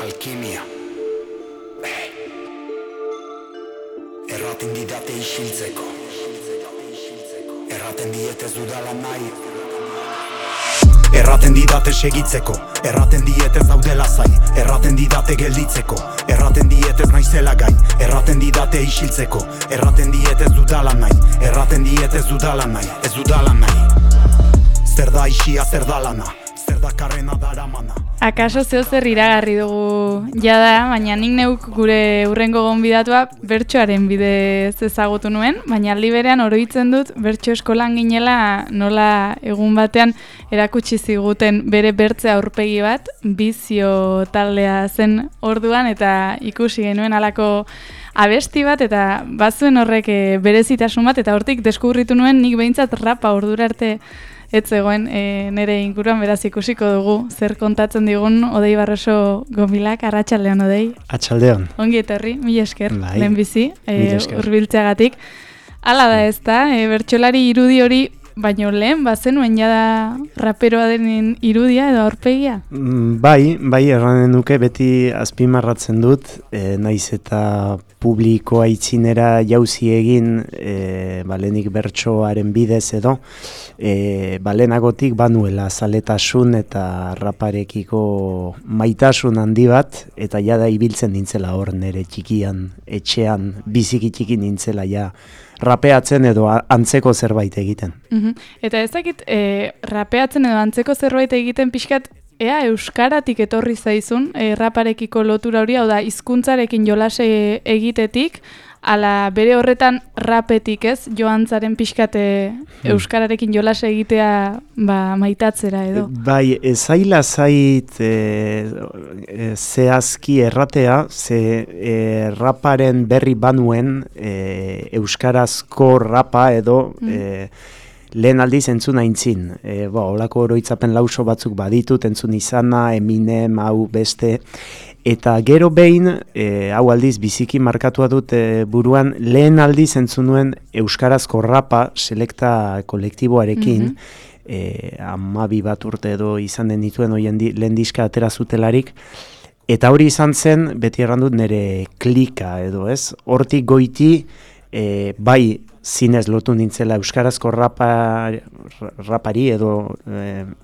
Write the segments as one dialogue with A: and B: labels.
A: alkimia. Erraten didate isiltzeko, erraten dietez dudala nahi. Erraten didate segitzeko, erraten dietez daudela zai. Erraten didate gelditzeko, erraten dietez naizela gai. Erraten didate isiltzeko, erraten dietez dudala nahi. Erraten dietez dudala nahi, ez dudala nahi. Zer da isia, zer da lana, zer da karrena daramana.
B: Akaso zeo zer iragarri dugu jada, baina nik neuk gure hurrengo gonbidatua bertsoaren bidez ezagutu nuen, baina aldi berean oroitzen dut bertso eskolan ginela nola egun batean erakutsi ziguten bere bertze aurpegi bat, bizio taldea zen orduan eta ikusi genuen halako abesti bat eta bazuen horrek berezitasun bat eta hortik deskubritu nuen nik behintzat rapa ordura arte ez zegoen nire inguruan, beraz ikusiko dugu zer kontatzen digun Odei Barroso Gomilak. Arratsaldeon Odei.
C: Atxaldeon.
B: Ongi etorri, mila esker,
C: bai,
B: lehenbizi, hurbiltzeagatik. Hala da ez da, bertsolari irudi hori, baino lehen, bazenuen jada raperoa denen irudia edo aurpegia?
C: Bai, erranen nuke beti azpimarratzen dut, naiz eta publikoa itzinera jauzi egin, lehenik bertsoaren bidez edo, lehenagotik banuela zaletasun eta raparekiko maitasun handi bat, eta jada ibiltzen nintzela hor nire txikian, etxean, biziki txiki nintzela ja, rapeatzen edo antzeko zerbait egiten.
B: Eta ez dakit, rapeatzen edo antzeko zerbait egiten pixkat, ea euskaratik etorri zaizun, raparekiko lotura hori, hau da, hizkuntzarekin jolase egitetik, ala bere horretan rapetik ez, joantzaren pixkate euskararekin jolase egitea maitatzera edo.
C: Bai, ezaila zait zehazki erratea, ze raparen berri banuen euskarazko rapa edo lehen aldiz entzun aintzin. Holako oroitzapen lauso batzuk baditut, entzun izana, Eminem, hau beste. Eta gero behin, hau aldiz biziki markatua dut buruan, lehen aldiz entzun nuen euskarazko rapa selekta kolektiboarekin, 12 bat urte edo izan den dituen lehen diska atera zutelarik, eta hori izan zen, beti errandut nire klika edo ez, hortik goiti, bai zinez lotu nintzela euskarazko rapari edo,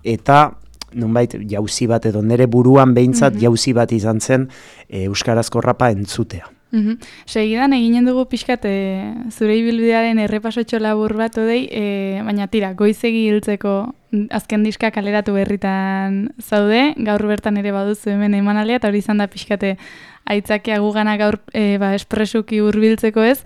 C: eta nonbait jauzi bat edo nire buruan behintzat jauzi bat izan zen euskarazko rapa entzutea.
B: Segidan eginen dugu pixkat zure ibilbidearen errepasotxo labur bat Odei, baina tira, goizegi hiltzeko azken diska kaleratu berritan zaude, gaur bertan ere baduzu hemen emanaldia, eta hori izan da pixkate aitzakia gugana gaur espresuki hurbiltzeko ez.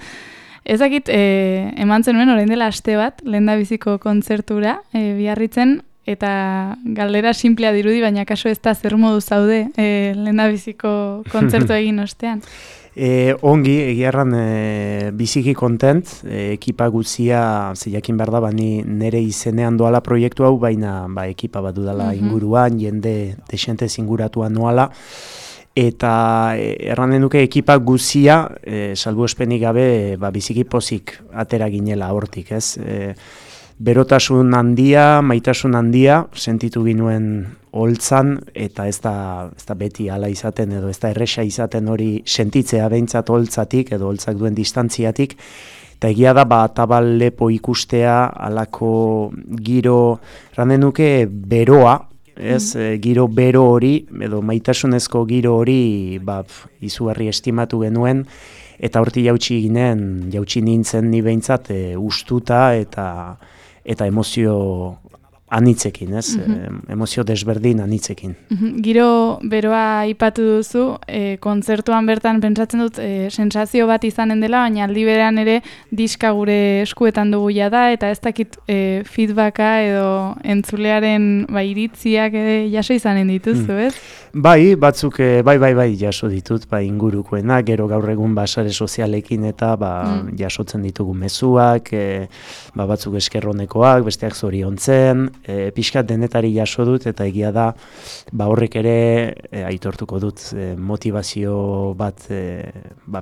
B: Ezakit, eman zenuen orain dela aste bat, lehendabiziko kontzertura Biarritzen, eta galdera simplea dirudi, baina kaso ez da zer modu zaude lehendabiziko kontzertu egin ostean.
C: Ongi, egiarran biziki kontent, ekipa guzia, jakin behar da, nire izenean doala proiektu hau, baina ekipa bat dudala inguruan, jende desentez inguratuan noala, eta erranen duke ekipa guzia, salbuespenik gabe, biziki pozik atera ginela hortik, ez? Berotasun handia, maitasun handia, sentitu ginuen holtzan, eta ez da beti hala izaten, edo ez da erresa izaten hori sentitzea behintzat holtzatik, edo holtzak duen distantziatik, eta egia da, Atabal lepo ikustea, halako giro, erranen nuke beroa, ez, giro bero hori, edo maitasunezko giro hori, izugarri estimatu genuen, eta horti jautsi nintzen ni behintzat ustuta eta emozio anitzekin, ez? Emozio desberdin anitzekin.
B: Giro beroa aipatu duzu, kontzertuan bertan pentsatzen dut sensazio bat izanen dela, baina aldi berean ere diska gure eskuetan dugu jada, eta ez dakit feedbacka edo entzulearen iritziak jaso izanen dituzu, ez?
C: Bai, batzuk, bai, jaso ditut, ingurukoena, gero gaur egun sare sozialekin eta jasotzen ditugu mezuak, batzuk eskerronekoak, besteak zoriontzen, pixkat denetari jaso dut, eta egia da, horrek ere aitortuko dut motivazio bat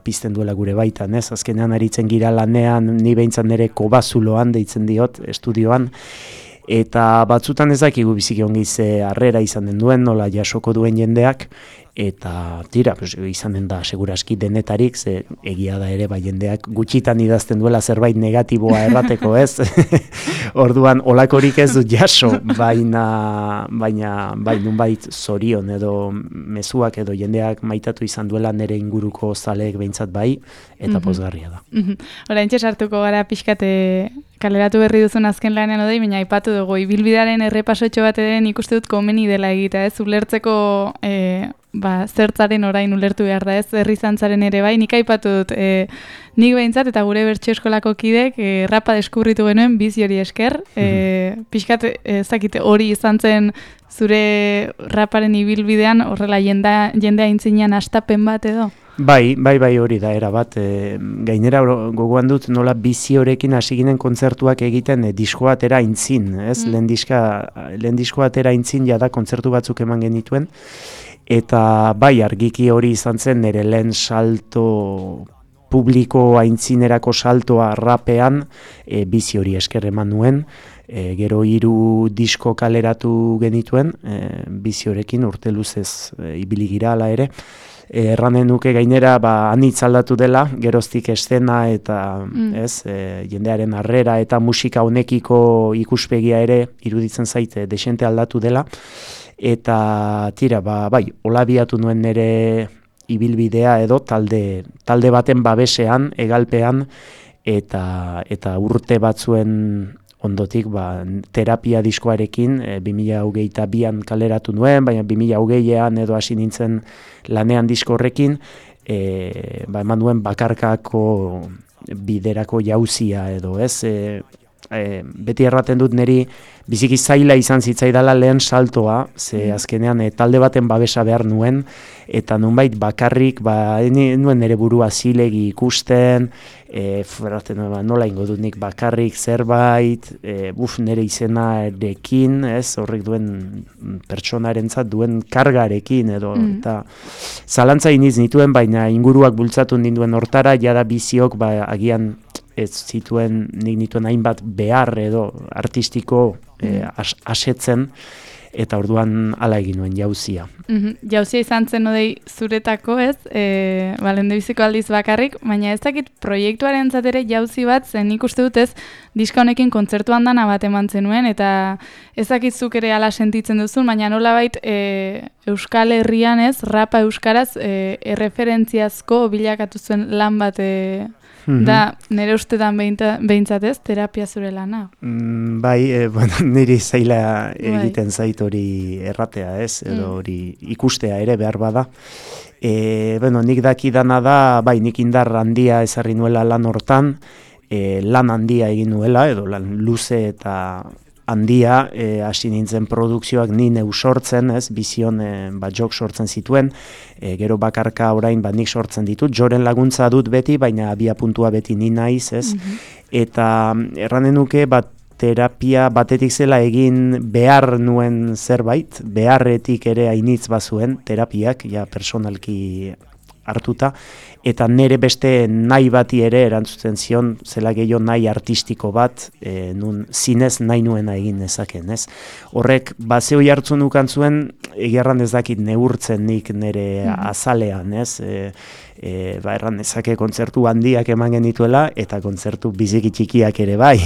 C: pizten duela gure baitan, ez? Azkenean aritzen gira lanean, ni behintzat nire kobazuloan deitzen diot, estudioan, eta batzutan ez dakigu biziki ongi ze harrera izan den duen, nola jasoko duen jendeak, eta tira, pues, izanen da seguraski denetarik, ze egia da ere jendeak gutxitan idazten duela zerbait negatiboa errateko, ez? Orduan olakorik ez dut jaso, baina bai nunbait zorion edo mezuak edo jendeak maitatu izan duela nire inguruko zaleek behintzat bai, eta pozgarria da.
B: Oraintxe sartuko gara pixkate kaleratu berri duzun azken lanean odei, baina aipatu dugu ibilbidearen errepasotxo bat ere nik uste dut komeni dela egitea, ez? Ulertzeko zertzaren orain ulertu behar da, ez? Herrizantzaren ere bai, nik aipatu dut nik behintzat eta gure bertso eskolako kidek rapa deskubritu genuen bizi hori esker, pixkat ezakite hori izan zen zure raparen ibilbidean horrela jendea aintzinean astapen bat edo?
C: Bai, hori da, era bat. Gainera gogoan dut nola bizi horekin hasi ginen kontzertuak egiten diskoa atera aintzin, ez? Lehen diskoa atera aintzin jada kontzertu batzuk eman genituen, eta bai, argiki hori izan zen nire lehen salto publiko aintzinerako saltoa rapean bizi hori esker eman nuen, gero 3 disko kaleratu genituen, bizi horekin urte luzez ibili gira hala ere, erranen nuke gainera anitz aldatu dela, geroztik estena eta jendearen harrera eta musika honekiko ikuspegia ere iruditzen zaite desente aldatu dela, eta tira, bai, hola biatu nuen nire ibilbidea edo talde baten babesean, egalpean, eta urte batzuen ondotik terapia diskoarekin 2022an kaleratu nuen, baina 2020an edo hasi nintzen lanean disko horrekin, eman nuen bakarkako biderako jauzia edo, ez? Beti erraten dut niri biziki zaila izan zitzaidala lehen saltoa, ze azkenean talde baten babesa behar nuen, eta nunbait bakarrik, nuen nire burua zilegi ikusten, nola ingo dut nik bakarrik zerbait, nire izenarekin, ez, horrek duen pertsonarentzat duen kargarekin, edo, eta zalantza iniz nituen, baina inguruak bultzatu ninduen hortara, jada biziok, agian ez zituen nik nituen hainbat behar edo artistiko asetzen, eta orduan hala egin nuen jauzia.
B: Jauzia izan zen odei zuretako, ez? Lendabiziko aldiz bakarrik, baina ez dakit proiektuaren zatera jauzi bat, zen nik uste dut ez, diska honekin kontzertu handana bat eman zenuen, eta ez dakit zuk ere ala sentitzen duzun, baina nolabait Euskal Herrian ez, rapa euskaraz erreferentziazko bilakatu zuen lan bat da, nire ustetan behintzat ez, terapia zure lana?
C: Bai, niri zaila egiten zait hori erratea ez, edo hori ikustea ere behar bada. Nik dakidana da, bai, nik indar handia ezarri nuela lan hortan, lan handia egin nuela, edo lan luze eta handia, hasi nintzen produkzioak ni neu sortzen, ez, bizion jok sortzen zituen, gero bakarka orain nik sortzen ditut, joren laguntza dut beti, baina abia puntua beti ni naiz, ez, eta erranen nuke terapia batetik zela egin behar nuen zerbait, beharretik ere hainitz bazuen terapiak, ja personalki hartuta, eta nire beste nahi bati ere erantzuten zion, zela gehiago nahi artistiko bat, nun zinez nahi nuena egin nezaken, ez? Horrek, zehoi hartzun nukan zuen, egerran ez dakit neurtzen nik nire azalean, ez? Erran ezake kontzertu handiak eman genituela, eta kontzertu biziki txikiak ere bai,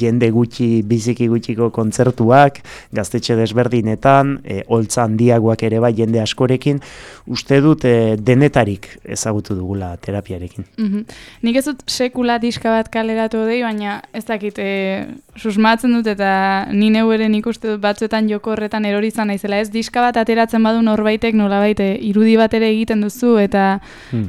C: jende gutxi, biziki gutxiko kontzertuak, gaztetxe desberdinetan, holtza handiagoak ere bai jende askorekin, uste dut denetarik ezagutu dugula terapiarekin.
B: Nik ez dut sekula diska bat kaleratu dei, baina ez dakit susmatzen dut eta ni neu ere nik uste dut batzuetan joko horretan erori izan naizela, ez diska bat ateratzen badu norbaitek nolabait irudi bat ere egiten duzu eta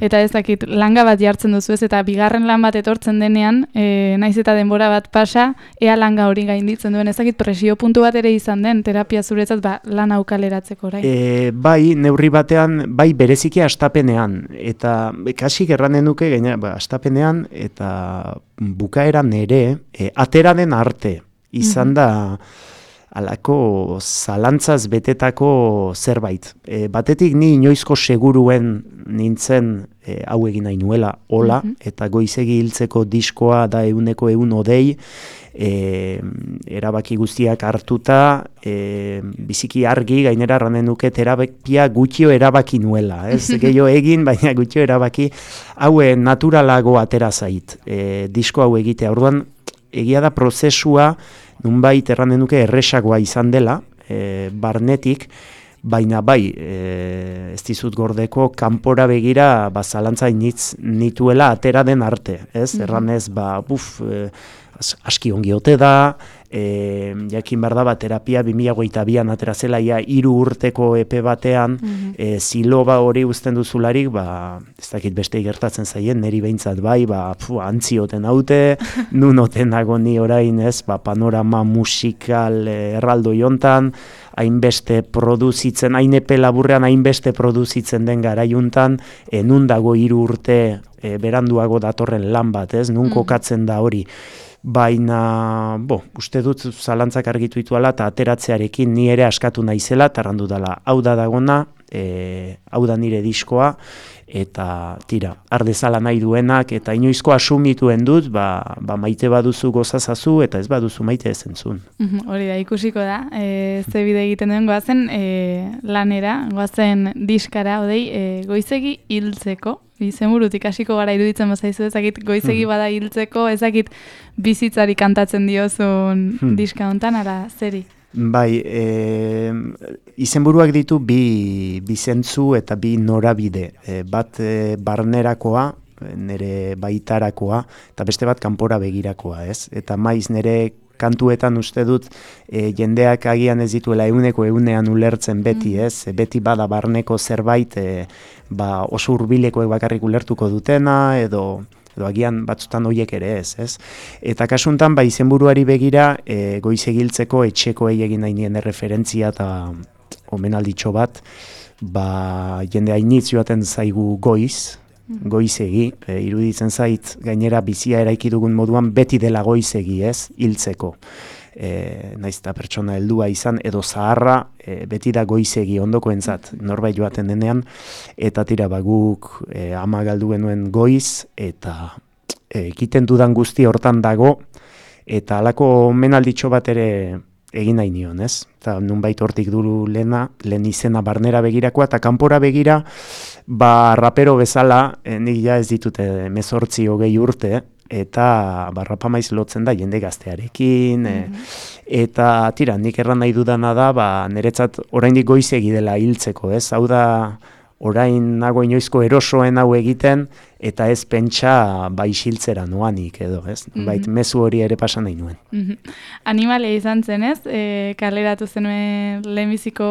B: ez dakit langa bat jartzen duzu ez, eta bigarren lan bat etortzen denean, naiz eta denbora bat pasa, ea langa hori gainditzen duen, ez dakit presio puntu bat ere izan den terapia zuretzat lan hau kaleratzeko orain.
C: Bai, neurri batean, bai bereziki astapenean, eta kasik erranen nuke, astapenean, eta bukaeran ere, atera den arte, izan da, alako zalantzaz betetako zerbait. Batetik ni inoizko seguruen nintzen hau egin nahi nuela, hola, eta goizegi hiltzeko diskoa da 100% erabaki guztiak hartuta, biziki argi, gainera erranen nuke terapia gutxio erabaki nuela, ez gehiago egin, baina gutxio erabaki, hau naturalago atera zait, disko hau egitea. Orduan, egia da prozesua, nunbait erranen nuke erresagoa izan dela, barnetik, baina bai, ez dizut gordeko, kanpora begira zalantza nituela atera den arte, ez? Erranez, aski ongi ote da, jakin behar da, terapia 2022an atera zela, 3 urteko epe batean, ziloba hori uzten duzularik, ez dakit beste gertatzen zaien, neri behintzat bai, antzioten haute, nun oten nago ni orain, ez, panorama musikal erraldo jontan, hainbeste produzitzen, hain epe laburrean hainbeste produzitzen den garaiuntan, nun dago 3 urte beranduago datorren lan bat, ez, nun kokatzen da hori. Baina, uste dut zalantzak argitu dituala eta ateratzearekin ni ere askatu naizela, tarrandu dela, hau da dagona, hau da nire diskoa, eta tira, ardezala nahi duenak, eta inoizko asumituen dut, maite baduzu gozazazu, eta ez baduzu maite ezentzun.
B: Hori da, ikusiko da, ze bide egiten duen goazen lanera, goazen diskara, goizegi hiltzeko, izenburutik hasiko gara iruditzen bazaizu, ezakit goizegi bada hiltzeko, ezakit bizitzari kantatzen diozun diska hontan, ala zeri?
C: Bai, izenburuak ditu bi zentzu eta bi norabide. Bat barnerakoa, nire baitarakoa, eta beste bat kanpora begirakoa, ez? Eta maiz nire kantuetan uste dut jendeak agian ez dituela 100% ulertzen beti, ez? Beti bada barneko zerbait oso hurbilekoek bakarrik ulertuko dutena, edo agian batzutan horiek ere ez? Eta kasuntan, izenburuari begira, goizegiltzeko etxekoei egin nahi nien referentzia eta omenalditxo bat, jende hainitz joaten zaigu goizegi, iruditzen zait, gainera bizia eraiki dugun moduan beti dela goizegi, ez? Hiltzeko. Naiz eta pertsona heldua izan, edo zaharra, beti da goizegi ondokoentzat norbait joaten denean, eta tira guk ama galdu genuen goiz, eta egiten dudan guzti hortan dago, eta halako menalditxo bat ere egin nahi nion, ez? Eta nunbait hortik duru lehen izena barnera begirakoa, eta kanpora begira, rapero bezala, nik ja ez ditute 18-20 urte, eta rapamaiz lotzen da jende gaztearekin, eta tira, nik erran nahi dudana da, niretzat oraindik goizegi dela hiltzeko, ez? Hau da, orain nago inoizko erosoen hau egiten, eta ez pentsa isiltzera noanik edo, ez? Bait, mezu hori ere pasan nahi nuen.
B: Animalia izan zen, ez? Kaleratu zenuen lehenbiziko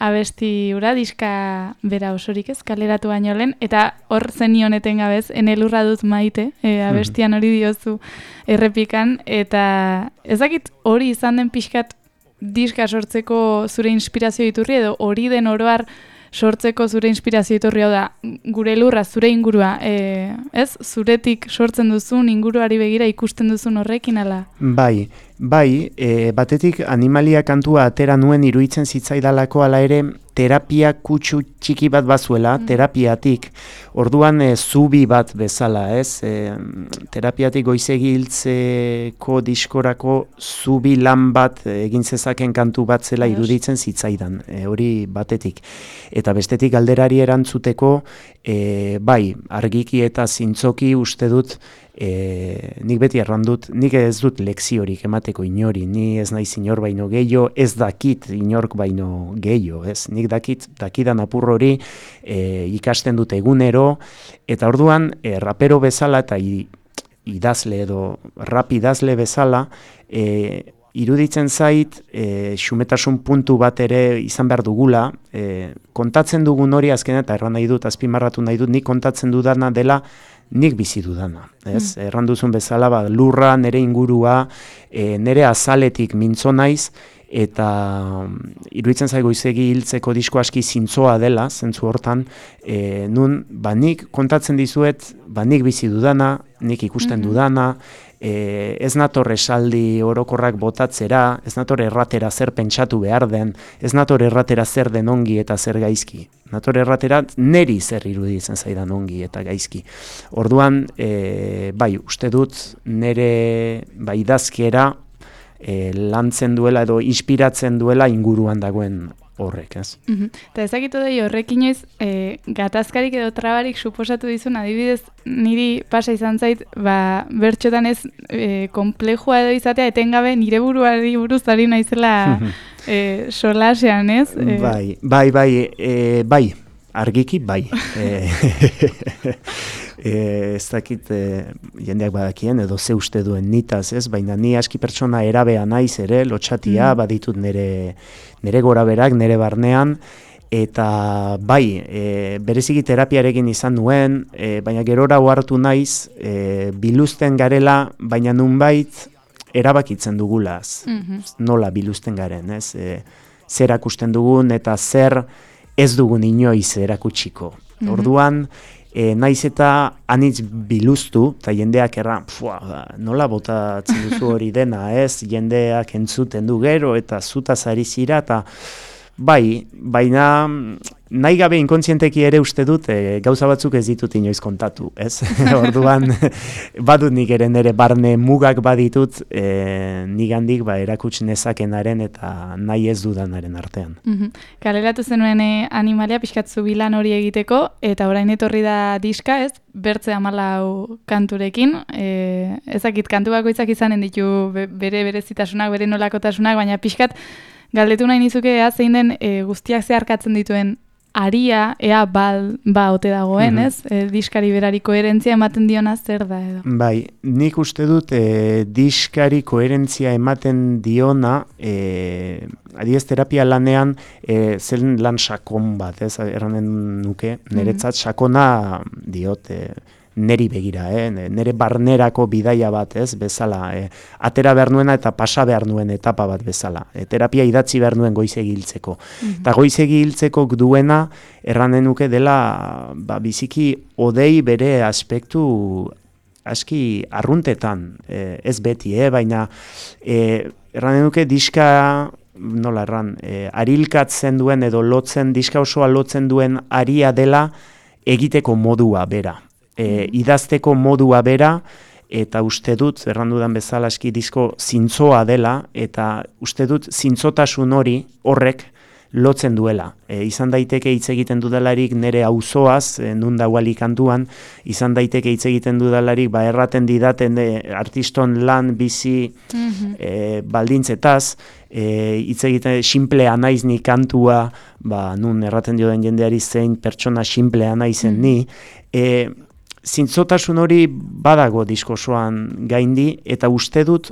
B: abesti ura, diska bera osorik, ez? Kaleratu baino lehen, eta hor zenioneten gabez, enelurra dut maite, abestian hori diozu errepikan, eta ezakit hori izan den pixkat diska sortzeko zure inspirazio iturri, edo hori den oroar sortzeko zure inspirazio iturri, hau da, gure lurra, zure ingurua, ez? Zuretik sortzen duzun, inguruari begira ikusten duzun horrekin, ala?
C: Bai, batetik animalia kantua atera nuen iruditzen zitzaidalako, ala ere, terapia kutsu txiki bat bazuela, terapiatik, orduan zubi bat bezala, ez? Terapiatik goizegi hiltzeko diskorako zubi lan bat egin zezaken kantu bat zela iruditzen zitzaidan, hori batetik. Eta bestetik galderari erantzuteko, argiki eta zintzoki uste dut, nik beti errandut, nik ez dut lekziorik emateko inori, ni ez naiz inor baino gehiago, ez dakit inork baino gehiago, ez? Nik dakidan apur hori ikasten dut egunero, eta orduan rapero bezala eta idazle edo rap idazle bezala, iruditzen zait, xumetasun puntu bat ere izan behar dugula, kontatzen dugun hori azkenean, eta erran nahi dut, azpimarratu nahi dut, nik kontatzen dudana dela, nik bizi dudana, ez? Erran duzun bezala, lurra, nire ingurua, nire azaletik mintzo naiz, eta iruditzen zaigu izegi hiltzeko disko aski zintzoa dela, zentzu hortan, nun, nik kontatzen dizuet, nik bizi dudana, nik ikusten dudana, ez nator esaldi orokorrak botatzera, ez nator erratera zer pentsatu behar den, ez nator erratera zer den ongi eta zer gaizki. Nator erratera neri zer iruditzen zaidan ongi eta gaizki. Orduan, bai, uste dut nire idazkera lantzen duela edo inspiratzen duela inguruan dagoen horrek, ez?
B: Eta ezakitu doi horrek inoiz, gatazkarik edo trabarik suposatu dizun, adibidez, niri pasa izan zait, bertxotan ez komplejua edo izatea, etengabe nire buruari buruz ari naizela solasean, ez?
C: Bai, argiki bai. Ez dakit jendeak badakien edo ze uste duen nitaz, ez? Baina ni aski pertsona erabea naiz ere, lotxatia, baditut nire goraberak, nire barnean, eta bai, bereziki terapiarekin izan nuen, baina gerora ohartu naiz, biluzten garela, baina nunbait erabakitzen dugulaz, nola biluzten garen, ez? Zer erakusten dugun eta zer ez dugun inoiz erakutsiko. Orduan, naiz eta anitz biluztu, eta jendeak nola botatzen duzu hori dena, ez? Jendeak entzuten du gero, eta zutaz ari zira, eta bai, baina nahi gabe inkontzienteki ere uste dut, gauza batzuk ez ditut inoiz kontatu, ez? Orduan, badut nik ere nire barne mugak baditut, nigandik erakuts nezakenaren eta nahi ez dudanaren artean.
B: Kaleratu zenuen animalia pixkatzu bilan hori egiteko, eta orain etorri da diska, ez? Bertze 14 kanturekin, ezakit kantu bakoitzak izanen ditu bere berezitasunak, bere nolakotasunak, baina pixkat galdetu nahi nizuke zein den guztiak zeharkatzen dituen aria, ea ote dagoen, ez? Diskari berari koherentzia ematen diona zer da edo?
C: Bai, nik uste dut diskari koherentzia ematen diona, adibidez terapia lanean zen lan sakon bat, ez? Erranen nuke, niretzat sakona diot, neri begira, nere barnerako bidaia bat, ez, bezala, atera behar nuena eta pasa behar nuen etapa bat bezala. Terapia idatzi behar nuen goizegi hiltzeko. Eta goizegi hiltzeko duena, erranen nuke dela, biziki odei bere aspektu aski arruntetan, ez beti, baina erranen nuke diska, nola erran, arilkatzen duen edo lotzen, diska osoa lotzen duen aria dela egiteko modua bera. Idazteko modua bera, eta uste dut, errandudan bezala eski disko zintzoa dela, eta uste dut zintzotasun horrek lotzen duela. Izan daiteke hitz egiten dudalarik nire auzoaz, nun dagoali kantuan, izan daiteke hitz egiten dudalarik, erraten didaten artiston lan bizi baldintzetaz, hitz egiten simplea naiz ni kantua, nun erraten dioden jendeari zein pertsona simplea naizen ni, zintzotasun hori badago diskosoan gaindi, eta uste dut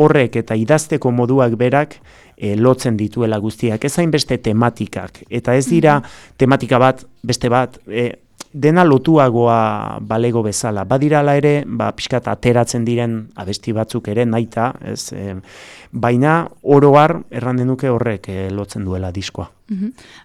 C: horrek eta idazteko moduak berak lotzen dituela guztiak, ez hainbeste tematikak, eta ez dira tematika bat, beste bat, dena lotuagoa balego bezala. Badirala ere, pixkat ateratzen diren abesti batzuk ere nahita, ez, baina oroar erran denuke horrek lotzen duela diskoa.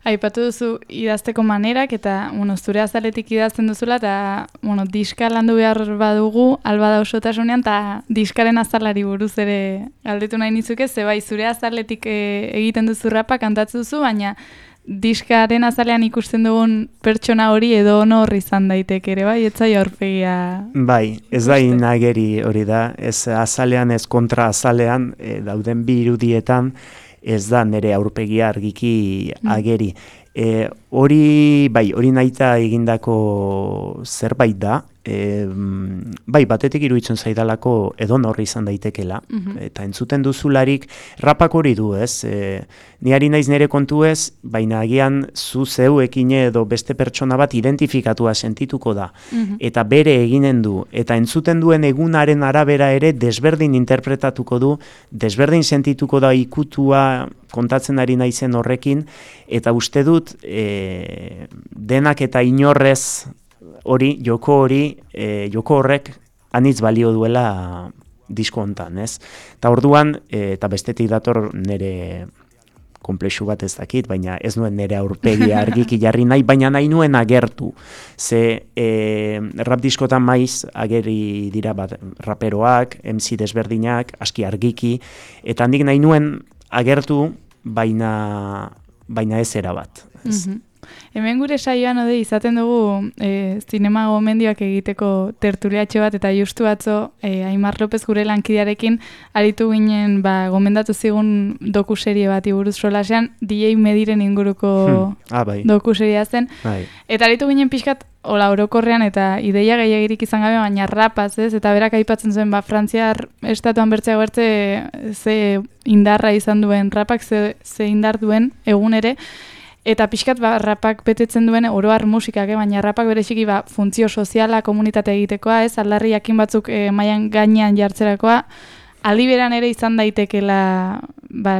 B: Aipatu duzu idazteko manerak eta zure azaletik idazten duzula eta diska landu behar badugu alba da osotasunean eta diskaren azalari buruz ere galdetu nahi nizuke, ze bai zure azaletik egiten duzu rapa kantatzen duzu, baina diskaren azalean ikusten dugun pertsona hori edo honor izan daiteke ere, bai, etzai aurpegia.
C: Bai, ez da inageri hori da, ez azalean ez kontra azalean, dauden bi irudietan, ez da nire aurpegia argiki ageri. Hori nahita egindako zerbait da, bai, batetik iruditzen zaidalako edonor izan daitekela, eta entzuten duzularik rapak hori du, ez? Ni ari naiz nire kontu ez, baina agian zu zeuekin edo beste pertsona bat identifikatua sentituko da, eta bere eginen du, eta entzuten duen egunaren arabera ere desberdin interpretatuko du, desberdin sentituko da ikutua kontatzen ari naizen horrekin, eta uste dut denak eta inorrez hori, joko horrek anitz balio duela disko hontan, ez? Eta orduan, eta bestetik dator nire konplexu bat ez dakit, baina ez nuen nire aurpegia argiki jarri nahi, baina nahi nuen agertu. Ze rap diskotan maiz ageri dira bat raperoak, MC desberdinak, aski argiki, eta handik nahi nuen agertu, baina ez erabat.
B: Hemen gure saioan izaten dugu zinema gomendioak egiteko tertuliatxo bat, eta justu atzo Aimar López gure lankidearekin aritu ginen gomendatu zigun dokuserie bat buruz solasean, DJ Mediren inguruko dokuseria zen. Eta aritu ginen pixkat orokorrean eta ideia gehiagirik izan gabe, baina rapaz, ez? Eta berak aipatzen zuen, Frantziar estatuan bertzeago ze indarra izan duen rapak, ze indar duen egun ere, eta pixkat rapak betetzen duen oroar musikak, baina rapak bereziki funtzio soziala, komunitate egitekoa, ez? Aldarri jakin batzuk mailan gainean jartzerakoa, aliberan ere izan daitekela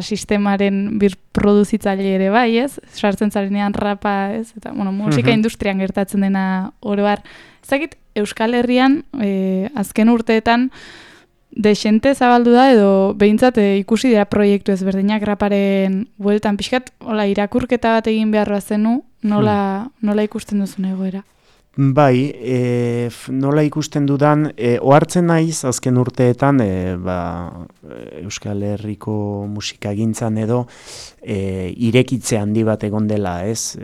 B: sistemaren birproduzitzaile ere bai, ez? Sartzen zarenean rapa, ez? Eta, musika industrian gertatzen dena oroar. Ezakit, Euskal Herrian, azken urteetan, desente zabaldu da edo behintzat ikusi dira proiektu ezberdinak raparen bueltan pixkat, irakurketa bat egin beharra zenu, nola ikusten duzun egoera?
C: Bai, nola ikusten dudan, ohartzen naiz azken urteetan Euskal Herriko musikagintzan edo irekitze handi bat egon dela, ez?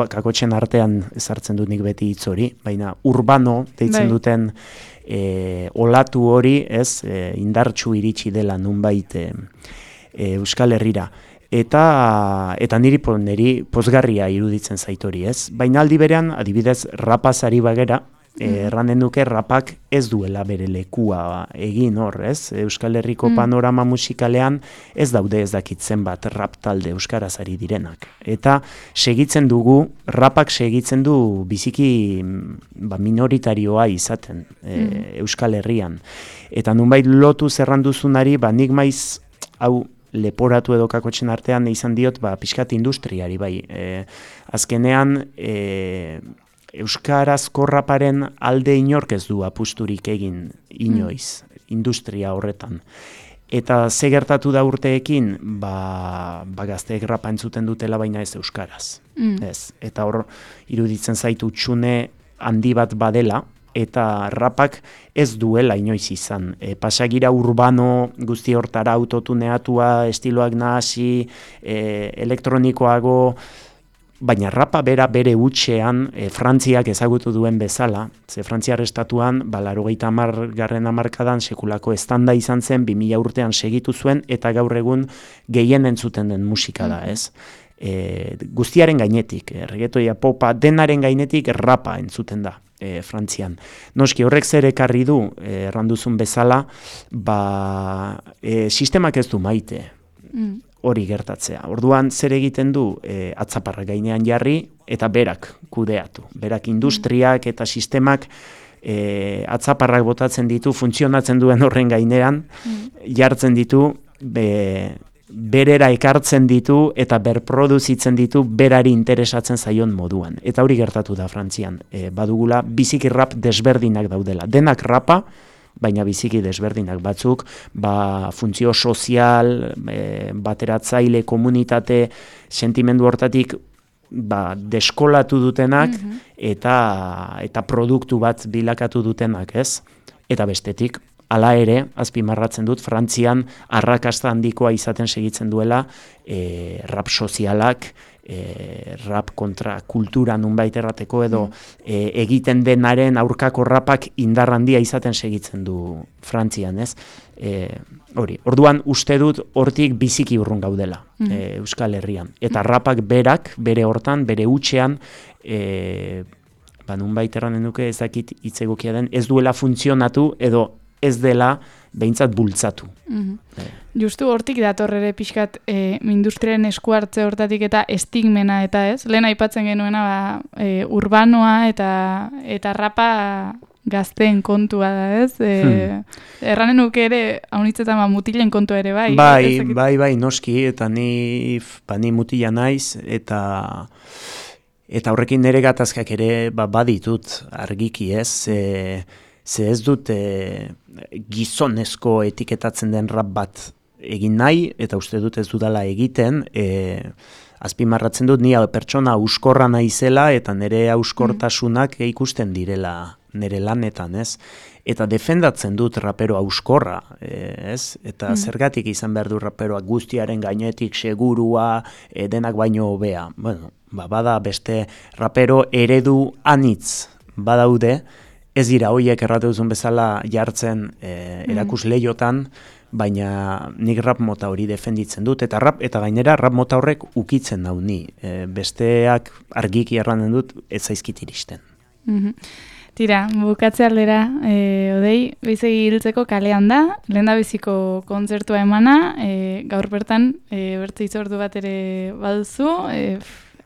C: Kakotxen artean ezartzen dut nik beti hitz hori, baina urbano deitzen duten olatu hori, ez, indartsu iritsi dela nunbait Euskal Herrira. Eta niri pozgarria iruditzen zait hori, ez? Baina aldi berean, adibidez, rapazari bagera, erranen duke rapak ez duela bere lekua egin hor, ez? Euskal Herriko panorama musikalean ez daude ez dakitzen bat rap talde euskaraz ari direnak. Eta segitzen dugu, rapak segitzen du biziki minoritarioa izaten Euskal Herrian. Eta nunbait lotu zerranduzunari, nik maiz, hau, leporatu edo kakotxen artean izan diot, pixkat industriari, bai. Azkenean, euskarazko raparen alde inork ez du apusturik egin inoiz, industria horretan. Eta ze gertatu da urteekin, gazteek rapa entzuten dutela, baina ez euskaraz. Ez. Eta hor, iruditzen zaitu txune handi bat badela, eta rapak ez duela inoiz izan. Pasagira urbano guzti hortara autotuneatua, estiloak nahasi, elektronikoago, baina rapa bere hutsean Frantziak ezagutu duen bezala, ze Frantziar estatuan, 80. hamarkadan sekulako estanda izan zen, 2000 urtean segitu zuen, eta gaur egun gehien entzuten den musika da, ez? Guztiaren gainetik, reggaetoia, popa, denaren gainetik rapa entzuten da. Frantzian. Noski horrek zer ekarri du, erranduzun bezala, sistemak ez du maite hori gertatzea. Orduan zer egiten du, atzaparra gainean jarri eta berak kudeatu. Berak industriak eta sistemak atzaparrak botatzen ditu, funtzionatzen duen horren gainean, jartzen ditu, berera ekartzen ditu eta berproduzitzen ditu berari interesatzen zaion moduan. Eta hori gertatu da Frantzian. Badugula biziki rap desberdinak daudela. Denak rapa, baina biziki desberdinak batzuk, funtzio sozial, bateratzaile, komunitate, sentimendu hortatik deskolatu dutenak eta produktu bat bilakatu dutenak, ez? Eta bestetik, hala ere, azpimarratzen dut, Frantzian arrakasta handikoa izaten segitzen duela rap sozialak, rap kontra kultura nunbait errateko edo egiten denaren aurkako rapak indar handia izaten segitzen du Frantzian, ez? Orduan uste dut hortik biziki urrun gaudela Euskal Herrian. Eta rapak berak, bere hortan, bere hutsean, nunbait erranen duke ez dakit hitz egokia den, ez duela funtzionatu edo ez dela behintzat bultzatu.
B: Justu hortik dator ere pixkat industriaren esku hartze hortatik eta estigmena eta ez. Lehen aipatzen genuena urbanoa eta rapa gazteen kontua da ez. Erranen nuke ere haunitzetan mutilen kontua ere bai.
C: Bai, noski, eta ni mutila naiz eta horrekin nire gatazkak ere baditut argiki ez. Ze ez dut gizonezko etiketatzen den rap bat egin nahi, eta uste dut ez dudala egiten, azpimarratzen dut ni pertsona auskorra naizela eta nire auskortasunak ikusten direla nire lanetan, ez? Eta defendatzen dut rapero auskorra, ez? Eta zergatik izan behar du raperoak guztiaren gainetik segurua, denak baino hobea. Bueno, bada beste rapero eredu anitz badaude, ez dira hoiek erratu duzun bezala jartzen erakusleiotan, baina nik rap mota hori defenditzen dut, eta gainera rap mota horrek ukitzen nau ni. Besteak argiki erranen dut, ez zaizkit iristen.
B: Tira, bukatze aldera, Odei, bizegi hiltzeko kalean da, lehendabiziko kontzertua emana, gaur bertan, bertze hitzordu bat ere baduzu,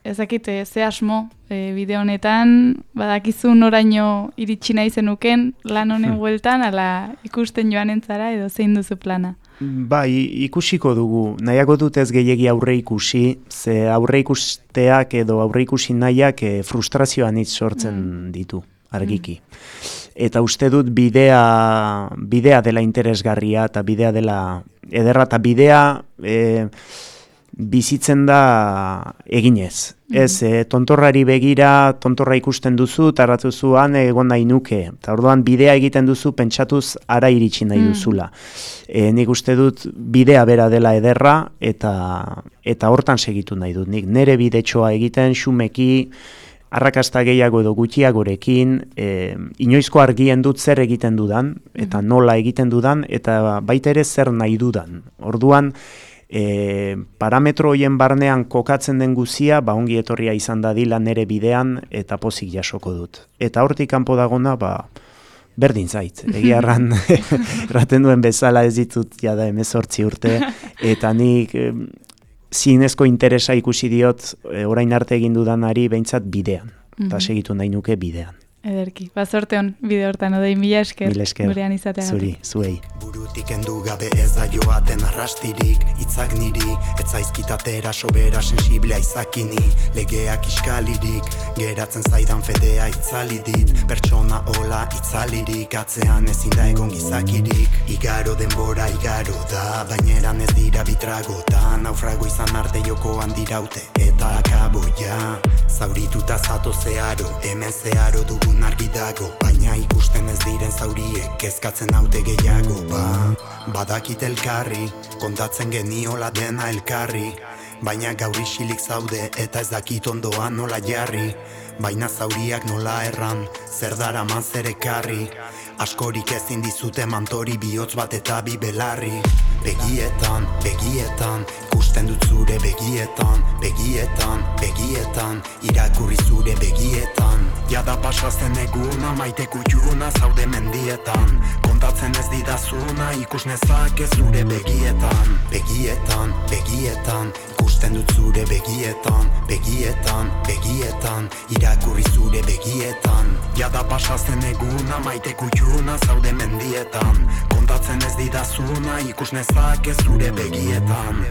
B: ezakit, ze asmo bideo honetan, badakizu noraino iritsi nahi zenuken lan honen bueltan, ala ikusten joan entzara edo zein duzu plana?
C: Bai, ikusiko dugu. Nahiago dut ez gehiegi aurre ikusi, ze aurre ikusteak edo aurre ikusi nahiak frustrazioan hitz sortzen ditu, argiki. Eta uste dut bidea dela interesgarria eta bidea dela ederra eta bidea bizitzen da eginez. Ez, tontorrari begira, tontorra ikusten duzu, taratuzuan egon nahi nuke. Eta orduan bidea egiten duzu pentsatuz ara iritsi nahi duzula. Nik uste dut bidea bera dela ederra eta hortan segitu nahi dut. Nik nere bidetxoa egiten, xumeki, arrakasta gehiago edo gutxiagorekin, inoizko argien dut zer egiten dudan, eta nola egiten dudan, eta baita ere zer nahi dudan. Orduan, parametro hoien barnean kokatzen den guzia, ongi etorria izan dadila nere bidean, eta pozik jasoko dut. Eta hortik kanpo dagona, berdin zait. Egia erraten duen bezala ez ditut jada 18 urte, eta nik zinezko interesa ikusi diot orain arte egin dudanari behintzat bidean. Eta segitu nahi nuke bidean.
B: Ederki, bazorte hon bide hortan, Odei, mila esker gurean izateagatik.
C: Zuri, zuei.
A: Burutik endu gabe ez da joaten arrastirik, hitzak niri, ez zaizkitatera sobera sensiblea izakini, legeak iskalirik, geratzen zaidan fedea itzali dit, pertsona hola itzalirik, atzean ezin da egon gizakirik, igaro denbora igaro da, baineran ez dira bitragota, naufrago izan arte jokoan diraute, eta akaboia, zaurituta zato zeharo, hemen zeharo dugun argi dago, baina ikusten ez diren zauriek, kezkatzen haute gehiago, badakit elkarri, kontatzen geniola dena elkarri, baina gaur isilik zaude eta ez dakit ondoan nola jarri, baina zauriak nola erran, zer daraman zer ekarri, askorik ezin dizute mantori bihotz bat eta bi belarri, begietan, ikusten dut zure begietan, irakurri zure begietan, jada pasazen eguna, maite kutxuna zaude mendietan, kontatzen ez didazuna, ikus nezake zure begietan, ikusten dut zure begietan, irakurri zure begietan, jada pasazen eguna, maite kutxuna zaude mendietan, kontatzen ez didazuna, ikus nezake zure begietan.